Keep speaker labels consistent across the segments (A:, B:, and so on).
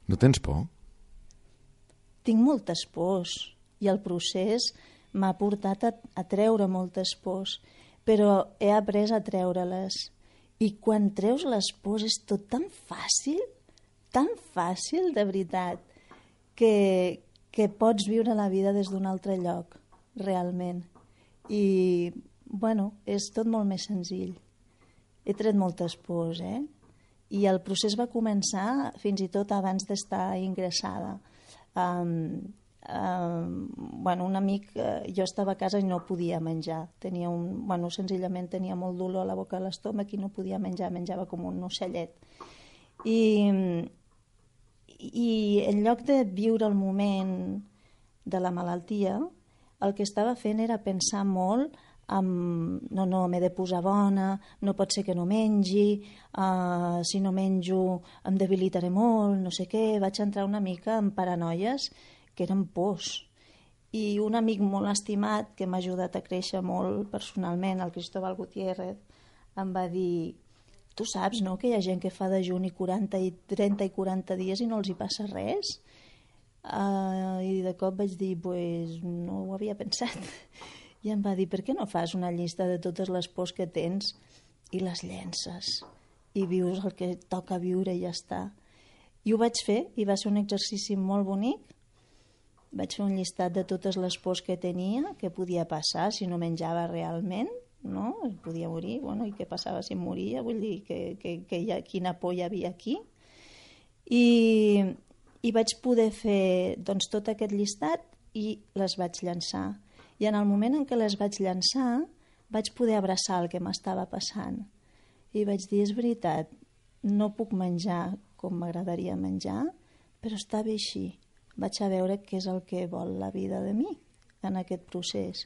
A: No tens por?
B: Tinc moltes pors i el procés m'ha portat a treure moltes pors, però he après a treure-les. I quan treus les pors és tot tan fàcil de veritat, que pots viure la vida des d'un altre lloc, realment. I, bueno, és tot molt més senzill. He tret moltes pors, I el procés va començar fins i tot abans d'estar ingressada. Un amic, jo estava a casa i no podia menjar, senzillament tenia molt dolor a la boca, a l'estómac i no podia menjar, menjava com un ocellet. I en lloc de viure el moment de la malaltia, el que estava fent era pensar molt no, m'he de posar bona, no pot ser que no mengi, si no menjo em debilitaré molt, no sé què. Vaig entrar una mica en paranoies que eren pors. I un amic molt estimat, que m'ha ajudat a créixer molt personalment, el Cristóbal Gutiérrez, em va dir: tu saps, no?, que hi ha gent que fa dejuni 30 i 40 dies i no els hi passa res? I de cop vaig dir, pues no ho havia pensat. I em va dir, per què no fas una llista de totes les pors que tens i les llences i vius el que toca viure i ja està? I ho vaig fer i va ser un exercici molt bonic. Vaig fer un llistat de totes les pors que tenia, què podia passar si no menjava realment, no? Podia morir, i què passava si em moria? Vull dir, quina por hi havia aquí? I vaig poder fer tot aquest llistat i les vaig llançar. I en el moment en què les vaig llançar vaig poder abraçar el que m'estava passant. I vaig dir, és veritat, no puc menjar com m'agradaria menjar, però està bé així. Vaig a veure què és el que vol la vida de mi en aquest procés.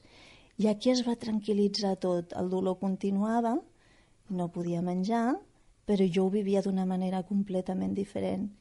B: I aquí es va tranquil·litzar tot. El dolor continuava, no podia menjar, però jo ho vivia d'una manera completament diferent.